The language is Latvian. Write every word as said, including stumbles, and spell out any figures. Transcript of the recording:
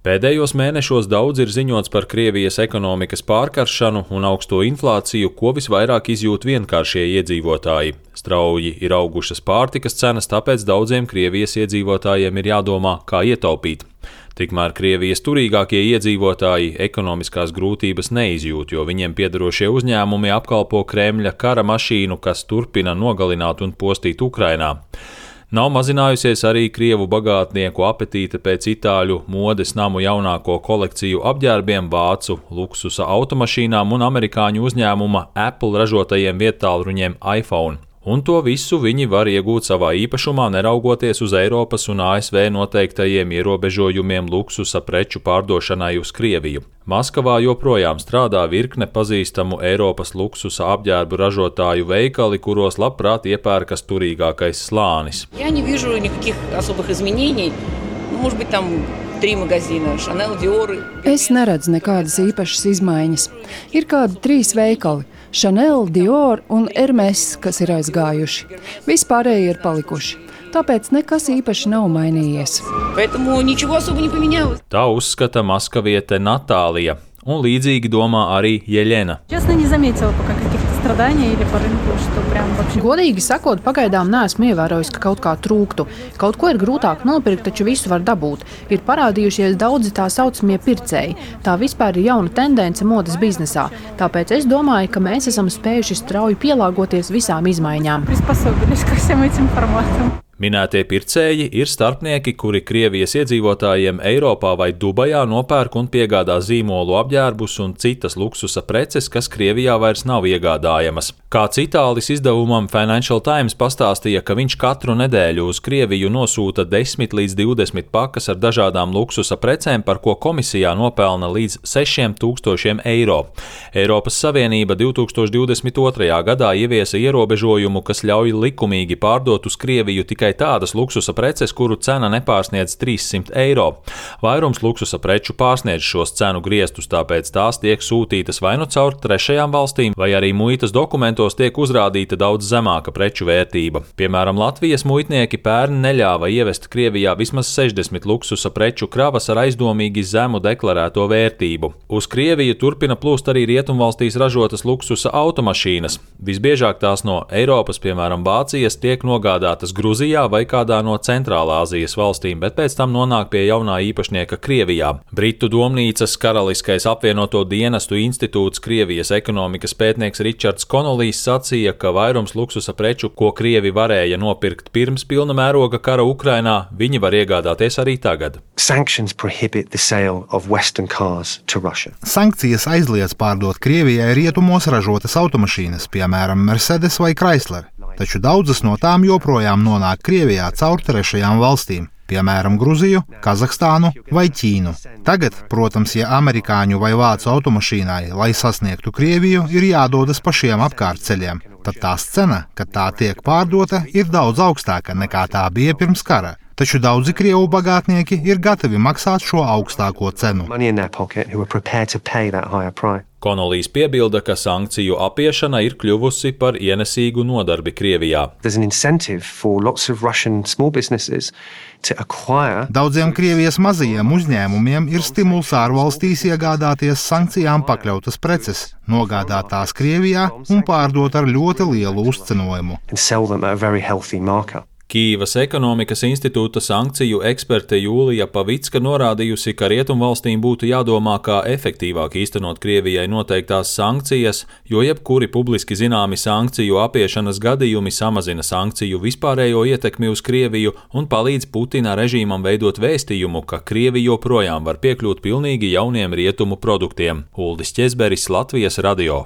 Pēdējos mēnešos daudz ir ziņots par Krievijas ekonomikas pārkaršanu un augsto inflāciju, ko visvairāk izjūt vienkāršie iedzīvotāji. Strauji ir augušas pārtikas cenas, tāpēc daudziem Krievijas iedzīvotājiem ir jādomā, kā ietaupīt. Tikmēr Krievijas turīgākie iedzīvotāji ekonomiskās grūtības neizjūt, jo viņiem piederošie uzņēmumi apkalpo Kremļa kara mašīnu, kas turpina nogalināt un postīt Ukrainā. Nav mazinājusies arī krievu bagātnieku apetīte pēc itāļu modes namu jaunāko kolekciju apģērbiem, vācu luksusa automašīnām un amerikāņu uzņēmuma Apple ražotajiem viedtālruņiem iPhone. Un to visu viņi var iegūt savā īpašumā, neraugoties uz Eiropas un A S V noteiktajiem ierobežojumiem luksusa preču pārdošanai uz Krieviju. Maskavā joprojām strādā virkne pazīstamu Eiropas luksusa apģērbu ražotāju veikali, kuros labprāt iepērkas turīgākais slānis. Я не вижу никаких особых изменений. Ну, может быть, там три магазина, Chanel, Dior. Es neredzu nekādas īpašas izmaiņas. Ir kādi trīs veikali – Chanel, Dior un Hermes, kas ir aizgājuši. Vispārēji ir palikuši. Tāpēc nekas īpaši nav mainījies. Поэтому ничего особо не поменялось. Tā uzskata maskaviete Natālija, un līdzīgi domā arī Jeļena. Честно, не заметила пока каких-то страданий или по рынку, что прям вообще. Godīgi sakot, pagaidām neesmu ievērojis, ka kaut kā trūktu. Kaut ko ir grūtāk nopirkt, taču visu var dabūt. Ir parādījušies daudzi tā saucamie pircēji. Tā vispār ir jauna tendence modes biznesā. Tāpēc es domāju, ka mēs esam spējuši strauji pielāgoties visām izmaiņām. Приспособились ко всем этим форматам. Minētie pircēji ir starpnieki, kuri Krievijas iedzīvotājiem Eiropā vai Dubajā nopērk un piegādā zīmolu apģērbus un citas luksusa preces, kas Krievijā vairs nav iegādājamas. Kāds itālis izdevumam Financial Times pastāstīja, ka viņš katru nedēļu uz Krieviju nosūta desmit līdz divdesmit pakas ar dažādām luksusa precēm, par ko komisijā nopelna līdz sešiem tūkstošiem eiro. Eiropas Savienība divtūkstoš divdesmit otrajā gadā ieviesa ierobežojumu, kas ļauj likumīgi pārdot uz Krieviju tikai tādas luksusa preces, kuru cena nepārsniedz trīssimt eiro. Vairums luksusa preču pārsniedz šos cenu griestus, tāpēc tās tiek sūtītas vai nu caur trešajām valstīm, vai arī muitas dokumentos tiek uzrādīta daudz zemāka preču vērtība. Piemēram, Latvijas muitnieki pērn neļāva ievest Krievijā vismaz sešdesmit luksusa preču kravas ar aizdomīgi zemu deklarēto vērtību. Uz Krieviju turpina plūst arī rietumvalstīs ražotas luksusa automašīnas. Visbiežāk tās no Eiropas, piemēram, Vācijas, tiek nogādātas Gruzijā vai kādā no Centrālāzijas valstīm, bet pēc tam nonāk pie jaunā īpašnieka Krievijā. Britu domnīcas Karaliskais apvienoto dienestu institūts Krievijas ekonomikas pētnieks Ričards Konolijs sacīja, ka vairums luksusa preču, ko Krievi varēja nopirkt pirms pilna mēroga kara Ukrainā, viņi var iegādāties arī tagad. Sankcijas aizliedz pārdot Krievijai rietumos ražotas automašīnas, piemēram, Mercedes vai Chrysler. Taču daudzas no tām joprojām nonāk Krievijā caur trešajām valstīm, piemēram, Gruziju, Kazahstānu vai Ķīnu. Tagad, protams, ja amerikāņu vai vācu automašīnai, lai sasniegtu Krieviju, ir jādodas pa šiem apkārtceļiem, tad tās cena, kad tā tiek pārdota, ir daudz augstāka nekā tā bija pirms kara. Taču daudzi krievu bagātnieki ir gatavi maksāt šo augstāko cenu. Konolijs piebilda, ka sankciju apiešana ir kļuvusi par ienesīgu nodarbi Krievijā. Daudziem Krievijas mazajiem uzņēmumiem ir stimuls ārvalstīs iegādāties sankcijām pakļautas preces, nogādāt tās Krievijā un pārdot ar ļoti lielu uzcenojumu. Kīivas ekonomikas institūta sankciju eksperte Jūlija Pavicka norādījusi, ka rietumvalstīm būtu jādomā, kā efektīvāk īstenot Krievijai noteiktās sankcijas, jo jebkuri publiski zināmi sankciju apiešanas gadījumi samazina sankciju vispārējo ietekmi uz Krieviju un palīdz Putina režīmam veidot vēstījumu, ka Krievija joprojām var piekļūt pilnīgi jauniem rietumu produktiem. Uldis Ķezberis, Latvijas radio.